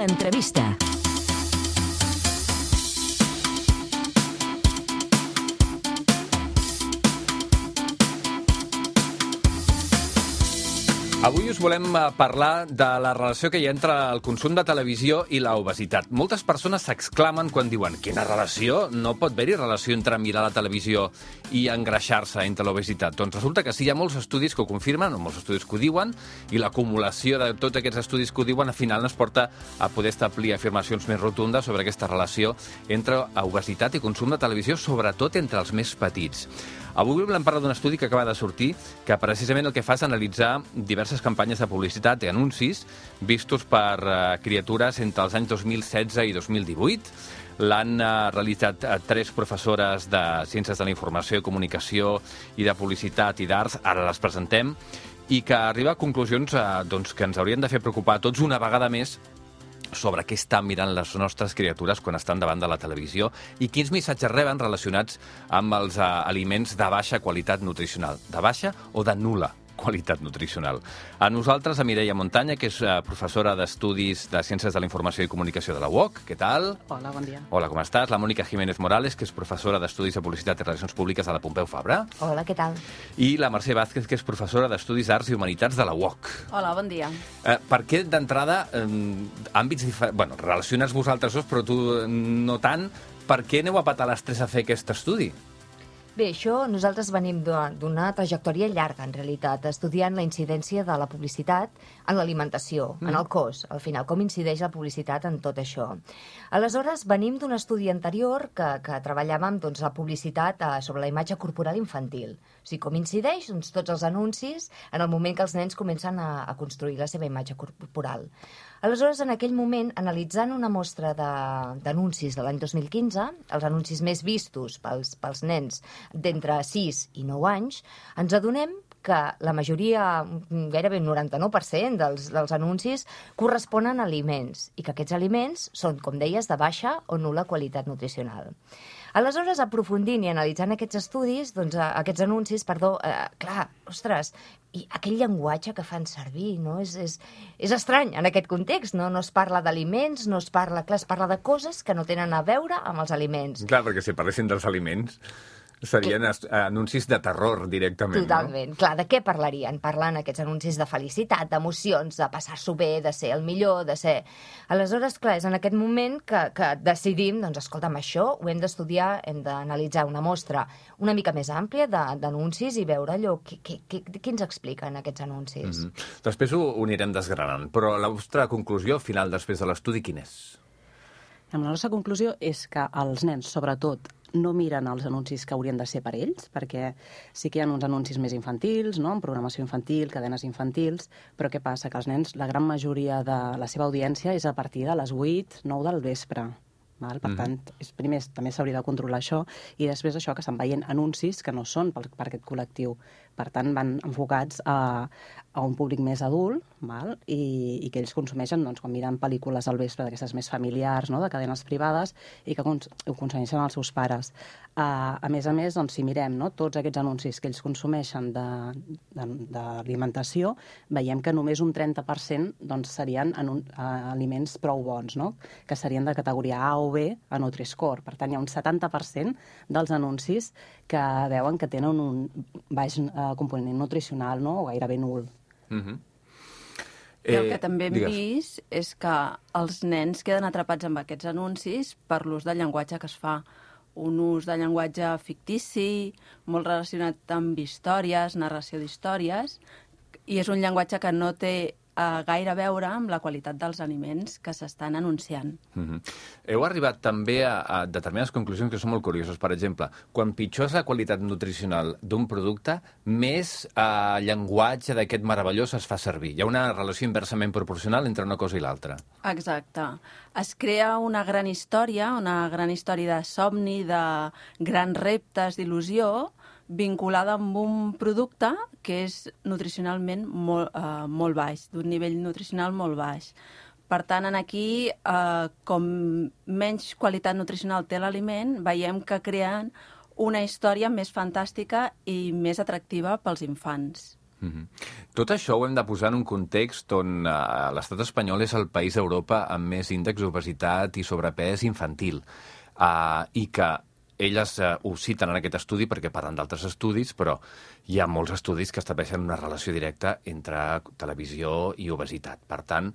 L'entrevista. Avui us volem parlar de la relació que hi ha entre el consum de televisió i l'obesitat. Moltes persones s'exclamen quan diuen «Quina relació? No pot haver-hi relació entre mirar la televisió i engreixar-se entre l'obesitat». Doncs resulta que sí, hi ha molts estudis que ho confirmen, o molts estudis que ho diuen, i la acumulació de tots aquests estudis que ho diuen al final ens porta a poder establir afirmacions més rotundes sobre aquesta relació entre obesitat i consum de televisió, sobretot entre els més petits. Avui volem parlar d'un estudi que acaba de sortir que precisament el que fa és analitzar diverses campanyes de publicitat i anuncis vistos per criatures entre els anys 2016 i 2018. L'han realitzat 3 professores de Ciències de la Informació i Comunicació i de Publicitat i d'Arts, ara les presentem, i que arriba a conclusions que ens haurien de fer preocupar a tots una vegada més sobre què estan mirant les nostres criatures quan estan davant de la televisió i quins missatges reben relacionats amb els aliments de baixa qualitat nutricional, de baixa o de nul·la qualitat nutricional. A nosaltres, a Mireia Montaña, que és professora d'Estudis de Ciències de la Informació i Comunicació de la UOC. Què tal? Hola, bon dia. Hola, com estàs? La Mònica Jiménez Morales, que és professora d'Estudis de Publicitat i Relacions Públiques de la Pompeu Fabra. Hola, què tal? I la Mercè Vázquez, que és professora d'Estudis d'Arts i Humanitats de la UOC. Hola, bon dia. Per què, d'entrada, àmbits diferents... relaciones vosaltres dos, però tu no tant. Per què aneu a petar les 3 a fer aquest estudi? Bé, això nosaltres venim d'una trajectòria llarga, en realitat, estudiant la incidència de la publicitat en l'alimentació, en el cos, al final, com incideix la publicitat en tot això. Aleshores, venim d'un estudi anterior que treballàvem la publicitat sobre la imatge corporal infantil. O sigui, com incideix tots els anuncis en el moment que els nens comencen a construir la seva imatge corporal. Aleshores, en aquell moment, analitzant una mostra d'anuncis de l'any 2015, els anuncis més vistos pels nens d'entre 6 i 9 anys, ens adonem que la majoria, gairebé un 99% dels anuncis, corresponen a aliments i que aquests aliments són, com deies, de baixa o nul·la qualitat nutricional. Aleshores, aprofundint i analitzant aquests estudis, aquests anuncis, clar, ostres, i aquell llenguatge que fan servir, no? És estrany en aquest context, no? No es parla d'aliments, no es parla... Clar, es parla de coses que no tenen a veure amb els aliments. Clar, perquè si parlessin dels aliments serien anuncis de terror directament, Totalment. No? Clar, de què parlarien? Parlen aquests anuncis de felicitat, d'emocions, de passar-s'ho bé, de ser el millor, de ser... Aleshores, clar, és en aquest moment que decidim, doncs, escolta'm, això ho hem d'estudiar, hem d'analitzar una mostra una mica més àmplia d'anuncis i veure allò què ens expliquen aquests anuncis. Després ho anirem desgranant, però la vostra conclusió final després de l'estudi quina és? La nostra conclusió és que els nens, sobretot, no miren els anuncis que haurien de ser per ells, perquè sí que hi ha uns anuncis més infantils, no? En programació infantil, cadenes infantils, però què passa? Que els nens, la gran majoria de la seva audiència és a partir de les 8, 9 del vespre. Val? Per tant, primer també s'hauria de controlar això i després això que estan veient anuncis que no són per aquest col·lectiu. Per tant, van enfocats a un públic més adult, val? I que ells consumeixen quan miren pel·lícules al vespre d'aquestes més familiars, no? De cadenes privades, i que ho consumeixen els seus pares. A més, si mirem tots aquests anuncis que ells consumeixen d'alimentació, veiem que només un 30% serien aliments prou bons, no? Que serien de categoria A o B a Nutri-Score. Per tant, hi ha un 70% dels anuncis que veuen que tenen un baix component nutricional, no? O gairebé nul. I el que també hem vist és que els nens queden atrapats amb aquests anuncis per l'ús del llenguatge que es fa. Un ús de llenguatge fictici, molt relacionat amb històries, narració d'històries, i és un llenguatge que no té gaire a veure amb la qualitat dels aliments que s'estan anunciant. Heu arribat també a determinades conclusions que són molt curioses. Per exemple, quan pitjor és la qualitat nutricional d'un producte, més llenguatge d'aquest meravellós es fa servir. Hi ha una relació inversament proporcional entre una cosa i l'altra. Exacte. Es crea una gran història de somni, de grans reptes, d'il·lusió, vinculada amb un producte que és nutricionalment molt baix, d'un nivell nutricional molt baix. Per tant, aquí, com menys qualitat nutricional té l'aliment, veiem que creen una història més fantàstica i més atractiva pels infants. Tot això ho hem de posar en un context on l'estat espanyol és el país d'Europa amb més índex d'obesitat i sobrepès infantil, i que elles ho citen en aquest estudi perquè parlen d'altres estudis, però hi ha molts estudis que estableixen una relació directa entre televisió i obesitat. Per tant,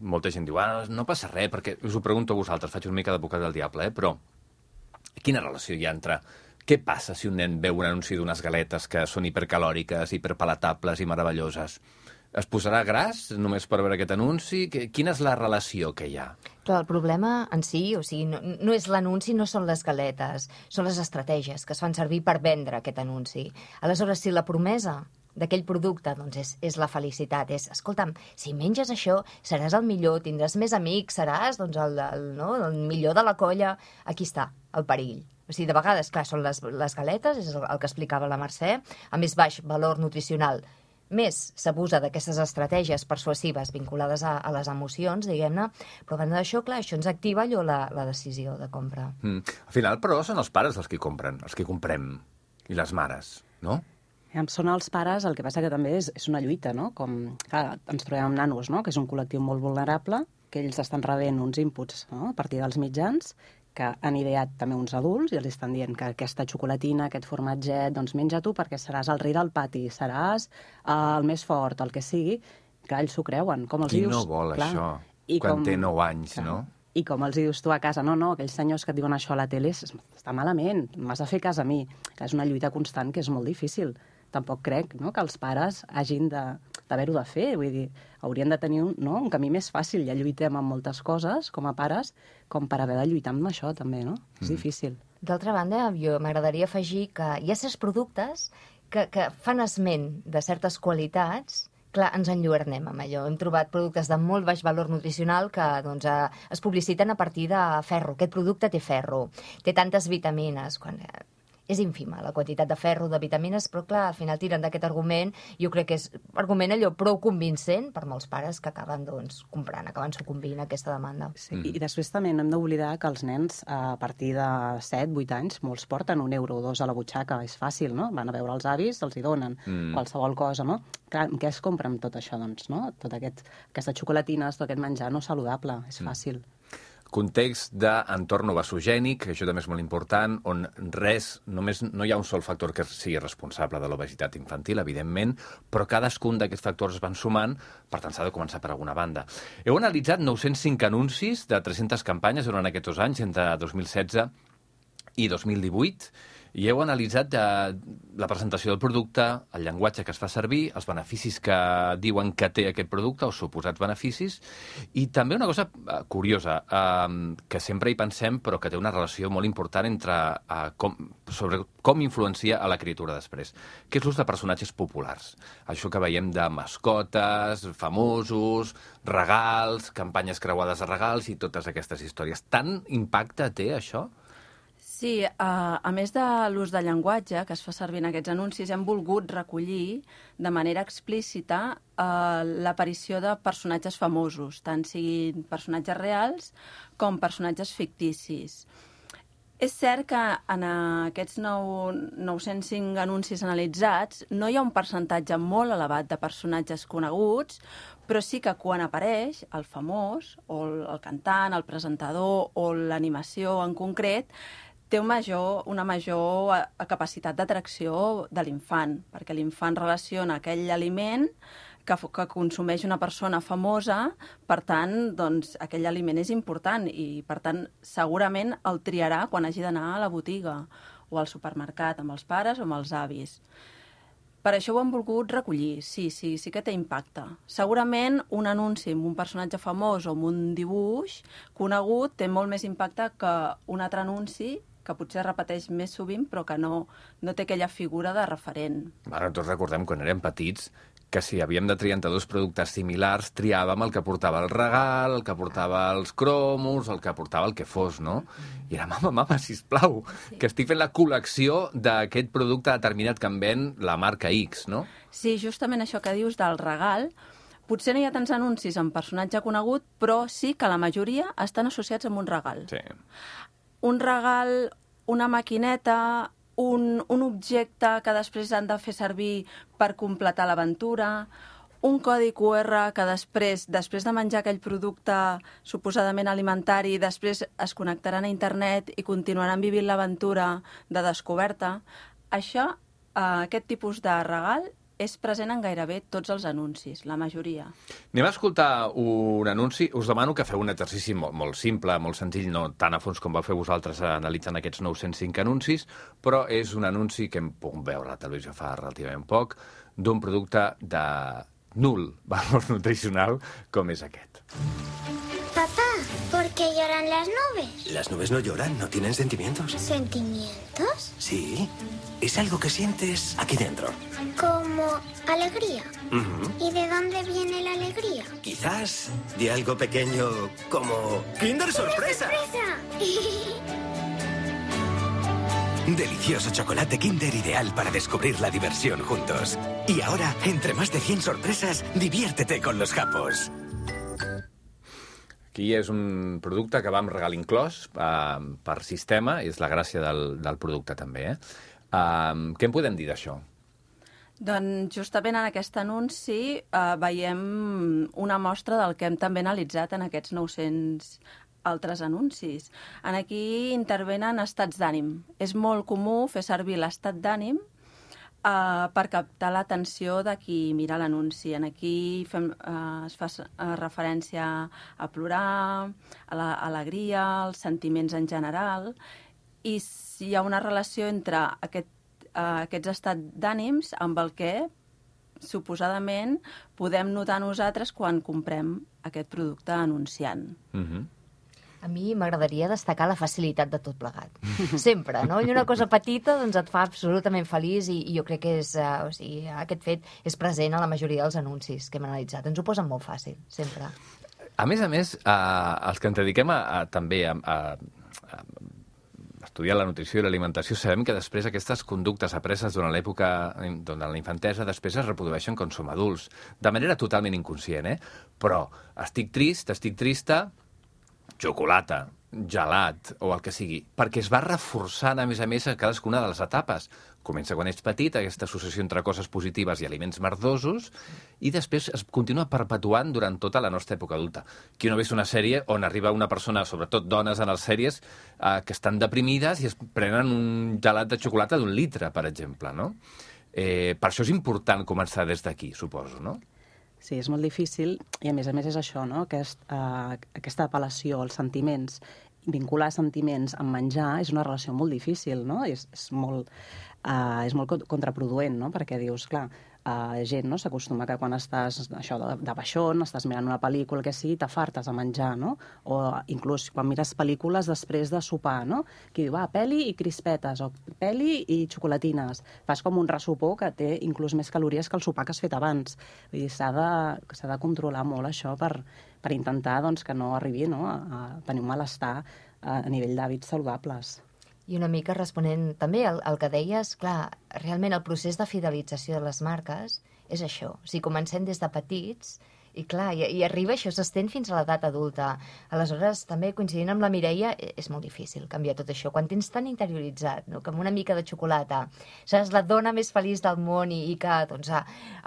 molta gent diu, no passa res, perquè us ho pregunto a vosaltres, faig una mica d'advocat del diable, però quina relació hi ha entre què passa si un nen veu un anunci d'unes galetes que són hipercalòriques, hiperpalatables i meravelloses? Es posarà gras només per veure aquest anunci? Quina és la relació que hi ha? Clar, el problema en si, o sigui, no és l'anunci, no són les galetes, són les estratègies que es fan servir per vendre aquest anunci. Aleshores, si la promesa d'aquell producte doncs és la felicitat, escolta'm, si menges això seràs el millor, tindràs més amics, seràs doncs, el millor de la colla, aquí està el perill. O sigui, de vegades, clar, són les galetes, és el que explicava la Mercè, a més baix valor nutricional. Més s'abusa d'aquestes estratègies persuasives vinculades a les emocions, diguem-ne, però a banda d'això, clar, això ens activa allò la decisió de compra. Al final, però, són els pares els que compren, els que comprem, i les mares, no? Són els pares, el que passa que també és una lluita, no? Com, clar, ens trobem amb nanos, no? Que és un col·lectiu molt vulnerable, que ells estan rebent uns inputs, no? A partir dels mitjans, que han ideat també uns adults i els estan dient que aquesta xocolatina, aquest formatget, doncs menja tu perquè seràs el rei del pati, seràs el més fort, el que sigui. Clar, ells s'ho creuen. Com els Qui dius, no vol clar, això quan té 9 anys, clar, no? I com els dius tu a casa, no, aquells senyors que et diuen això a la tele està malament, m'has de fer cas a mi. Clar, és una lluita constant que és molt difícil. Tampoc crec, no?, que els pares hagin d'haver-ho de fer. Vull dir, haurien de tenir un camí més fàcil. Ja lluitem amb moltes coses, com a pares, com per haver de lluitar amb això, també, no? És difícil. D'altra banda, jo m'agradaria afegir que hi ha certs productes que fan esment de certes qualitats. Clar, ens enlluernem amb allò. Hem trobat productes de molt baix valor nutricional que doncs, es publiciten a partir de ferro. Aquest producte té ferro, té tantes vitamines, quan és ínfima la quantitat de ferro, de vitamines, però clar, al final tiren d'aquest argument. Jo crec que és argument allò prou convincent per molts pares que acaben doncs, comprant, acaben sucumbint a aquesta demanda. Sí. I després també no hem d'oblidar que els nens, a partir de 7-8 anys, molts porten €1 o €2 a la butxaca. És fàcil, no? Van a veure els avis, els hi donen qualsevol cosa, no? Clar, què es compra amb tot això, doncs, no? Tot aquestes xocolatines, tot aquest menjar no saludable, és fàcil. Context d'entorn obesogènic, això també és molt important, on només no hi ha un sol factor que sigui responsable de l'obesitat infantil, evidentment, però cadascun d'aquests factors es van sumant, per tant s'ha de començar per alguna banda. Heu analitzat 905 anuncis de 300 campanyes durant aquests 2 anys, entre 2016 i 2018, i heu analitzat la presentació del producte, el llenguatge que es fa servir, els beneficis que diuen que té aquest producte, o suposats beneficis, i també una cosa curiosa, que sempre hi pensem, però que té una relació molt important sobre com influencia a la criatura després, que és l'ús de personatges populars. Això que veiem de mascotes, famosos, regals, campanyes creuades de regals i totes aquestes històries. Tant impacte té això? Sí, a més de l'ús de llenguatge que es fa servir en aquests anuncis, hem volgut recollir de manera explícita l'aparició de personatges famosos, tant siguin personatges reals com personatges ficticis. És cert que en aquests 905 anuncis analitzats no hi ha un percentatge molt elevat de personatges coneguts, però sí que quan apareix el famós, o el cantant, el presentador o l'animació en concret, té una major capacitat d'atracció de l'infant, perquè l'infant relaciona aquell aliment que consumeix una persona famosa, per tant, doncs, aquell aliment és important i, per tant, segurament el triarà quan hagi d'anar a la botiga o al supermercat amb els pares o amb els avis. Per això ho hem volgut recollir, sí que té impacte. Segurament un anunci amb un personatge famós o amb un dibuix conegut té molt més impacte que un altre anunci que potser repeteix més sovint, però que no té aquella figura de referent. Ara, tots recordem, quan érem petits, que si havíem de triar entre 2 productes similars, triàvem el que portava el regal, el que portava els cromos, el que portava el que fos, no? I era, mama, sisplau, que estic fent la col·lecció d'aquest producte determinat que em ven la marca X, no? Sí, justament això que dius del regal, potser no hi ha tants anuncis amb personatge conegut, però sí que la majoria estan associats amb un regal. Sí. Un regal, una maquineta, un objecte que després han de fer servir per completar l'aventura, un codi QR que després de menjar aquell producte suposadament alimentari, després es connectaran a internet i continuaran vivint l'aventura de descoberta. Això, aquest tipus de regal, és present en gairebé tots els anuncis, la majoria. Anem a escoltar un anunci. Us demano que feu un exercici molt simple, molt senzill, no tan a fons com vau fer vosaltres analitzant aquests 905 anuncis, però és un anunci que hem pogut veure a la televisió fa relativament poc, d'un producte de nul valor nutricional com és aquest. Papá, ¿por qué lloran las nubes? Las nubes no lloran, no tienen sentimientos. ¿Sentimientos? Sí, es algo que sientes aquí dentro. Como alegría. Ujú. ¿Y de dónde viene la alegría? Quizás de algo pequeño como ¡Kinder Sorpresa! ¡Sorpresa! Delicioso chocolate Kinder ideal para descubrir la diversión juntos. Y ahora, entre más de 100 sorpresas, diviértete con los japos. Aquí és un producte que va amb regal inclòs per sistema, i és la gràcia del producte també. Què en podem dir d'això? Doncs justament en aquest anunci veiem una mostra del que hem també analitzat en aquests 900 altres anuncis. Aquí intervenen estats d'ànim. És molt comú fer servir l'estat d'ànim per captar l'atenció de qui mira l'anunci. Aquí es fa referència a plorar, a l'alegria, als sentiments en general, i hi ha una relació entre aquests estats d'ànims amb el que suposadament podem notar nosaltres quan comprem aquest producte anunciant. A mi m'agradaria destacar la facilitat de tot plegat. Sempre, no? I una cosa petita doncs, et fa absolutament feliç i jo crec que aquest fet és present a la majoria dels anuncis que hem analitzat. Ens ho posen molt fàcil, sempre. A més, els que ens dediquem també a estudiar la nutrició i l'alimentació, sabem que després aquestes conductes apreses durant l'època, durant la infantesa, després es reprodueixen quan som adults, de manera totalment inconscient, Però estic trista, xocolata, gelat o el que sigui, perquè es va reforçant, a més, a cadascuna de les etapes. Comença quan ets petit, aquesta associació entre coses positives i aliments merdosos, i després es continua perpetuant durant tota la nostra època adulta. Qui no ha vist una sèrie on arriba una persona, sobretot dones en les sèries, que estan deprimides i es prenen un gelat de xocolata d'1 litre, per exemple, no? Per això és important començar des d'aquí, suposo, no? Sí, és molt difícil, i a més és això, no? Aquesta apel·lació als sentiments, vincular sentiments amb menjar és una relació molt difícil, no? És molt contraproduent, no? Perquè dius, clar, gent s'acostuma que quan estàs de baixón, estàs mirant una pel·lícula, que sí, t'afartes a menjar, no? O inclús quan mires pel·lícules després de sopar, no? Que diu, pel·li i crispetes, o pel·li i xocolatines. Fas com un ressopó que té inclús més calories que el sopar que has fet abans. Vull dir, s'ha de controlar molt això per intentar que no arribi a tenir un malestar a nivell d'hàbits saludables. I una mica responent també al que deies, clar, realment el procés de fidelització de les marques és això. O sigui, comencem des de petits i, clar, i arriba això, s'estén fins a l'edat adulta. Aleshores, també coincidint amb la Mireia, és molt difícil canviar tot això. Quan tens tan interioritzat, no?, que amb una mica de xocolata seràs la dona més feliç del món i que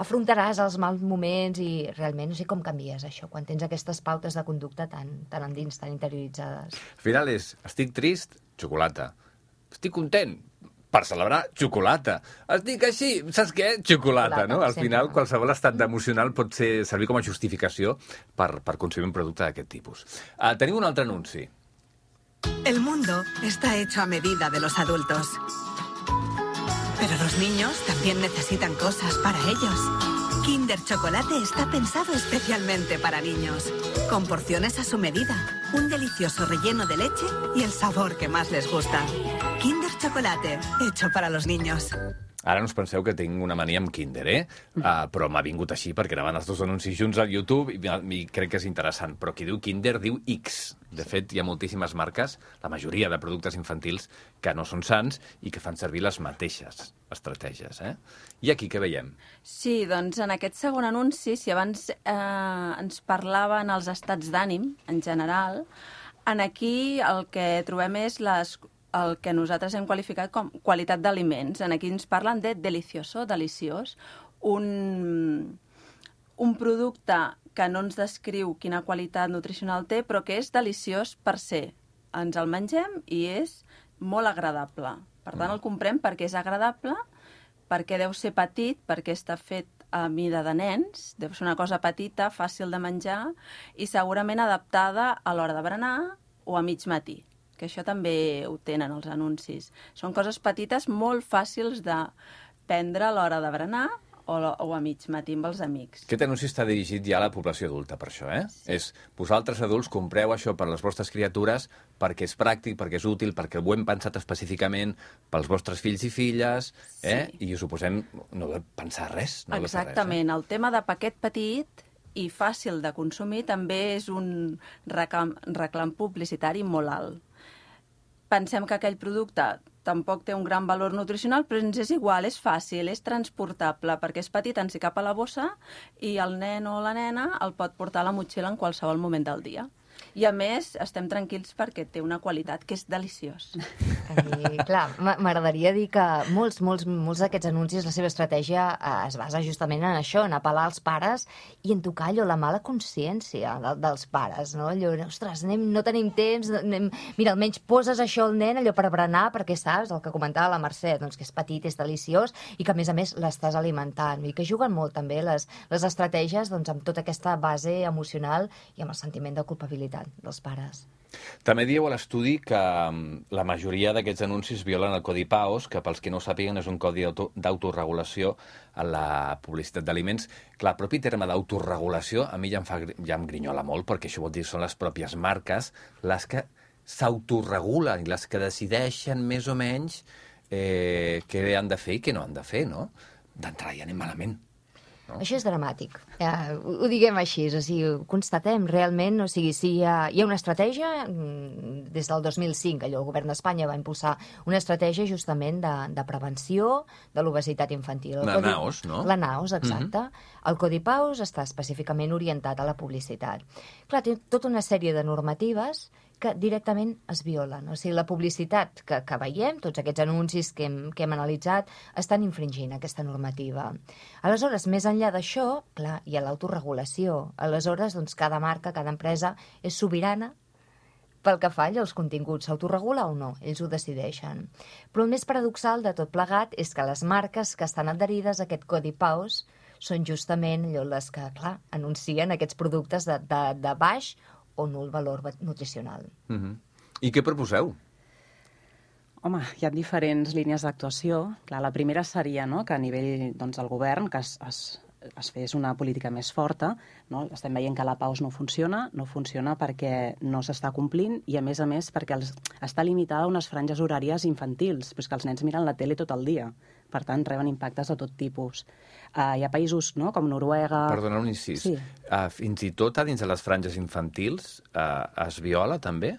afrontaràs els mals moments i realment no sé com canvies això, quan tens aquestes pautes de conducta tan endins, tan interioritzades. Al final estic trist, xocolata. Estic content, per celebrar, xocolata. Estic així, saps què? Xocolata, no? Al final, qualsevol estat emocional pot servir com a justificació per consumir un producte d'aquest tipus. Tenim un altre anunci. El mundo está hecho a medida de los adultos. Pero los niños también necesitan cosas para ellos. Kinder Chocolate está pensado especialmente para niños, con porciones a su medida, un delicioso relleno de leche y el sabor que más les gusta. Kinder Chocolate, hecho para los niños. Ara no us penseu que tinc una mania amb Kinder, però m'ha vingut així perquè anaven els dos anuncis junts al YouTube i crec que és interessant. Però qui diu Kinder diu X. De fet, hi ha moltíssimes marques, la majoria de productes infantils, que no són sants i que fan servir les mateixes estratègies. I aquí què veiem? Sí, doncs en aquest segon anunci, si abans ens parlaven els estats d'ànim, en general, aquí el que trobem és el que nosaltres hem qualificat com qualitat d'aliments. Aquí ens parlen de delicioso, deliciós, un producte que no ens descriu quina qualitat nutricional té, però que és deliciós per ser. Ens el mengem i és molt agradable. Per tant, el comprem perquè és agradable, perquè deu ser petit, perquè està fet a mida de nens, deu ser una cosa petita, fàcil de menjar i segurament adaptada a l'hora de berenar o a mig matí, que això també ho tenen els anuncis. Són coses petites molt fàcils de prendre a l'hora de berenar o a mig matí amb els amics. Aquest anunci està dirigit ja a la població adulta, per això, eh? Sí. És vosaltres adults compreu això per les vostres criatures perquè és pràctic, perquè és útil, perquè ho hem pensat específicament pels vostres fills i filles, eh? Sí. I us ho posem, no de pensar res. No exactament. El tema de paquet petit i fàcil de consumir també és un reclam publicitari molt alt. Pensem que aquell producte tampoc té un gran valor nutricional, però ens és igual, és fàcil, és transportable, perquè és petit, ens hi cap a la bossa i el nen o la nena el pot portar a la motxilla en qualsevol moment del dia. I, a més, estem tranquils perquè té una qualitat que és deliciós. I, clar, m'agradaria dir que molts d'aquests anuncis, la seva estratègia es basa justament en això, en apel·lar als pares i en tocar allò, la mala consciència dels pares, no? Allò, ostres, no tenim temps, mira, almenys poses això al nen, allò per berenar, perquè saps, el que comentava la Mercè, doncs que és petit, és deliciós, i que a més l'estàs alimentant, i que juguen molt també les estratègies doncs, amb tota aquesta base emocional i amb el sentiment de culpabilitat dels pares. També dieu a l'estudi que la majoria d'aquests anuncis violen el Codi PAOS, que pels que no ho sàpiguen és un codi d'autoregulació a la publicitat d'aliments. Clar, el propi terme d'autoregulació a mi ja em grinyola molt, perquè això vol dir són les pròpies marques les que s'autoregulen i les que decideixen més o menys què han de fer i què no han de fer, no? D'entrada ja anem malament. No? Això és dramàtic, ho diguem així, o sigui, ho constatem realment, o sigui, si hi ha una estratègia, des del 2005, el govern d'Espanya va impulsar una estratègia justament de prevenció de l'obesitat infantil. La NAOS, no? La NAOS, exacte. El Codi PAOS està específicament orientat a la publicitat. Clar, té tota una sèrie de normatives que directament es violen. O sigui, la publicitat que veiem, tots aquests anuncis que hem analitzat, estan infringint aquesta normativa. Aleshores, més enllà d'això, clar, hi ha l'autoregulació. Aleshores, doncs, cada marca, cada empresa és sobirana pel que fa als continguts. S'autoregula o no? Ells ho decideixen. Però el més paradoxal de tot plegat és que les marques que estan adherides a aquest Codi PAOS són justament les que, clar, anuncien aquests productes de baix o nul valor nutricional. I què proposeu? Home, hi ha diferents línies d'actuació. Clar, la primera seria, no?, que a nivell del govern que es fes una política més forta. No? Estem veient que la PAOS no funciona perquè no s'està complint i, a més, perquè està limitada a unes franges horàries infantils, però és que els nens miren la tele tot el dia. Per tant, reben impactes de tot tipus. Hi ha països, no?, com Noruega... Perdona un incís. Sí. Fins i tot a dins de les franges infantils es viola, també?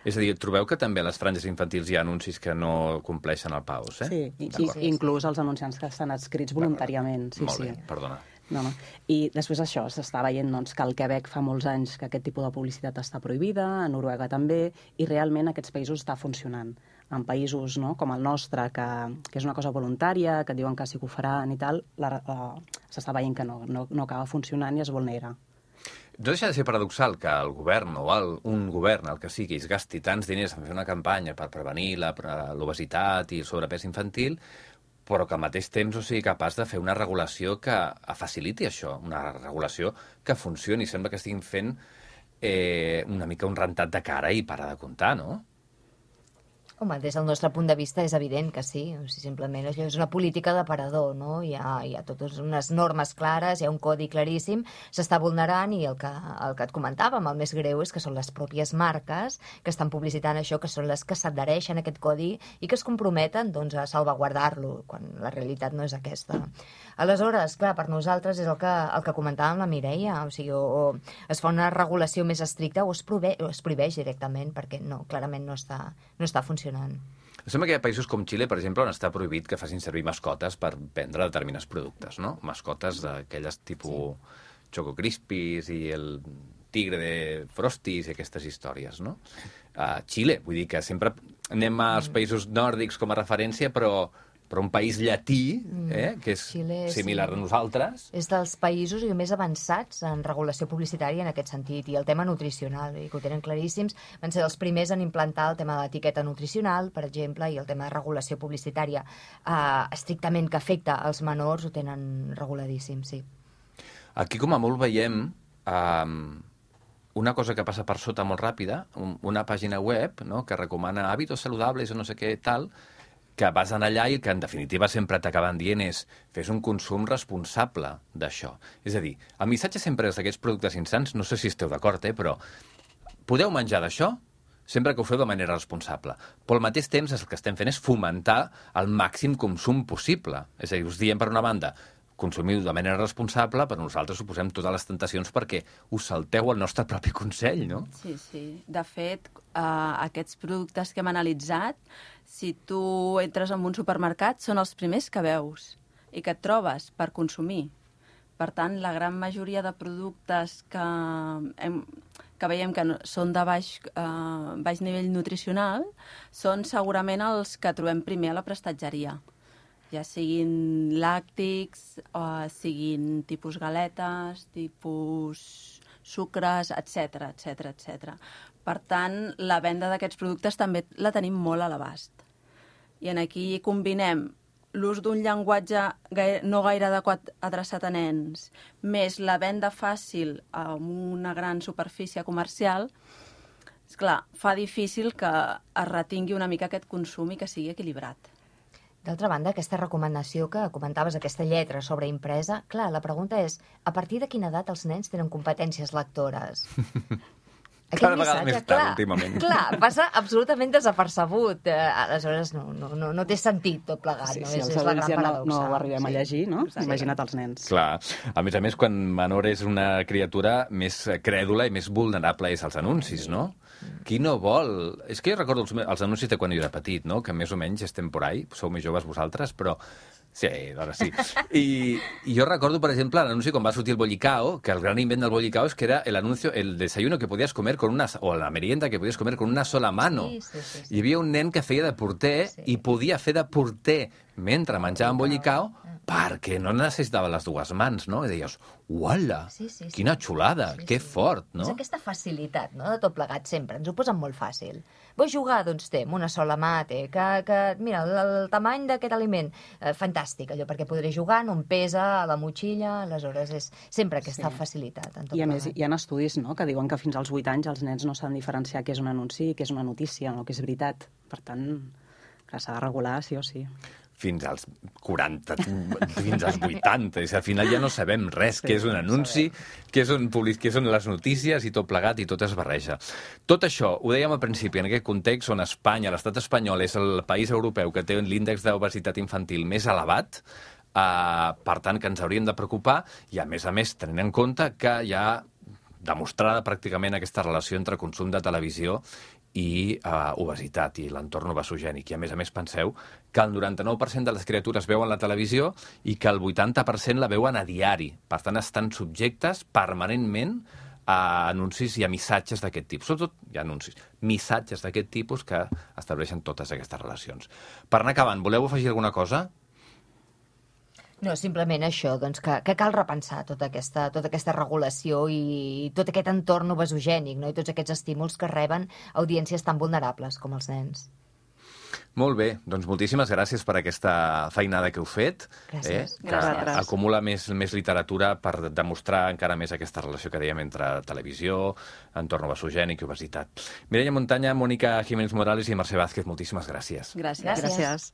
És a dir, trobeu que també a les franges infantils hi ha anuncis que no compleixen el PAOS, eh? Sí, inclús els anunciants que estan adscrits voluntàriament. Molt bé, perdona. No. I després això, s'està veient que al Quebec fa molts anys que aquest tipus de publicitat està prohibida, a Noruega també, i realment aquests països està funcionant. En països com el nostre, que és una cosa voluntària, que diuen que sí que ho faran i tal, s'està veient que no acaba funcionant i es vulnera. No deixa de ser paradoxal que el govern o un govern, el que sigui, es gasti tants diners en fer una campanya per prevenir l'obesitat i el sobrepès infantil, però que al mateix temps no sigui capaç de fer una regulació que faciliti això, una regulació que funcioni. Sembla que estiguin fent una mica un rentat de cara i para de comptar, no? Home, des del nostre punt de vista és evident que sí. O sigui, simplement és una política d'aparador, no? Hi ha totes unes normes clares, hi ha un codi claríssim, s'està vulnerant i el que et comentàvem, el més greu és que són les pròpies marques que estan publicitant això, que són les que s'adhereixen a aquest codi i que es comprometen a salvaguardar-lo, quan la realitat no és aquesta. Aleshores, clar, per nosaltres és el que comentàvem la Mireia, o sigui, o es fa una regulació més estricta o es prohibeix directament, perquè clarament no està funcionant. Sembla que hi ha països com Xile, per exemple, on està prohibit que facin servir mascotes per vendre determinats productes, no? Mascotes d'aquelles tipus Choco Crispies i el tigre de Frosties i aquestes històries, no? Xile, vull dir que sempre anem als països nòrdics com a referència, però un país llatí, que és Xile, similar sí. a nosaltres. És dels països més avançats en regulació publicitària en aquest sentit, i el tema nutricional, que ho tenen claríssims. Van ser els primers en implantar el tema de l'etiqueta nutricional, per exemple, i el tema de regulació publicitària estrictament que afecta als menors ho tenen reguladíssim, sí. Aquí, com a molt, veiem una cosa que passa per sota molt ràpida, una pàgina web, no?, que recomana hàbitos saludables o no sé què tal, que vas anar allà i que, en definitiva, sempre t'acaben dient és fes un consum responsable d'això. És a dir, el missatge sempre és d'aquests productes insans, no sé si esteu d'acord, però podeu menjar d'això sempre que ho feu de manera responsable. Però al mateix temps el que estem fent és fomentar el màxim consum possible. És a dir, us diem, per una banda, consumiu de manera responsable, però nosaltres suposem totes les tentacions perquè us salteu el nostre propi consell, no? Sí, sí. De fet, aquests productes que hem analitzat, si tu entres en un supermercat, són els primers que veus i que et trobes per consumir. Per tant, la gran majoria de productes que veiem que són de baix nivell nutricional són segurament els que trobem primer a la prestatgeria. Ja siguin làctics, siguin tipus galetes, tipus sucres, etc etc etc. Per tant, la venda d'aquests productes també la tenim molt a l'abast. I aquí combinem l'ús d'un llenguatge no gaire adequat adreçat a nens, més la venda fàcil amb una gran superfície comercial, esclar, fa difícil que es retingui una mica aquest consum i que sigui equilibrat. D'altra banda, aquesta recomanació que comentaves, aquesta lletra sobre impresa, clar, la pregunta és, a partir de quina edat els nens tenen competències lectores? Cada vegada més tard, últimament. Clar, passa absolutament desapercebut. Aleshores, no té sentit tot plegat. Sí, no? si És els la gran adults ja paradoxa. no ho arribem a llegir, no? Sí. Imagina't els nens. Clar. A més, quan menor és una criatura, més crèdula i més vulnerable és als anuncis, no? Qui no vol... És que jo recordo els anuncis de quan jo era petit, no?, que més o menys estem por ahí, sou més joves vosaltres, però... Sí, ara sí. I jo recordo, per exemple, l'anunci quan va sortir el bollicao, que el gran invent del bollicao és que era el desayuno que podies comer o la merienda que podies comer con una sola mano. Sí. Hi havia un nen que feia de porter i podia fer de porter mentre menjava un bollicao perquè no necessitava les dues mans, no? I deies, uala, quina xulada, que fort, no? És aquesta facilitat, no?, de tot plegat sempre. Ens ho posen molt fàcil. Vull jugar? Doncs té, amb una sola mà, té. Mira, el tamany d'aquest aliment, fantàstic, allò, perquè podré jugar, no em pesa a la motxilla, aleshores és sempre aquesta facilitat. En tot I a més, plegat. hi ha estudis, no?, que diuen que fins als 8 anys els nens no saben diferenciar què és un anunci i què és una notícia, no?, que és veritat. Per tant, que s'ha de regular sí o sí. Fins als 40, fins als 80. És, al final ja no sabem res, què és un anunci, què són les notícies i tot plegat i tot es barreja. Tot això, ho dèiem al principi, en aquest context on Espanya, l'estat espanyol, és el país europeu que té l'índex d'obesitat infantil més elevat, per tant, que ens hauríem de preocupar, i a més, tenint en compte que hi ha demostrada pràcticament aquesta relació entre consum de televisió i obesitat i l'entorn obesogènic. I a més, penseu que el 99% de les criatures veuen la televisió i que el 80% la veuen a diari. Per tant, estan subjectes permanentment a anuncis i a missatges d'aquest tipus. Sobretot hi ha anuncis, missatges d'aquest tipus que estableixen totes aquestes relacions. Per anar acabant, voleu afegir alguna cosa? No, simplement això, doncs, que cal repensar tota aquesta regulació i tot aquest entorn obesogènic, no?, i tots aquests estímuls que reben audiències tan vulnerables com els nens. Molt bé, doncs moltíssimes gràcies per aquesta feinada que heu fet. Gràcies. Que acumula més literatura per demostrar encara més aquesta relació que dèiem entre televisió, entorn obesogènic i obesitat. Mireia Montaña, Mònica Jiménez Morales i Mercè Vázquez, moltíssimes gràcies. Gràcies. Gràcies.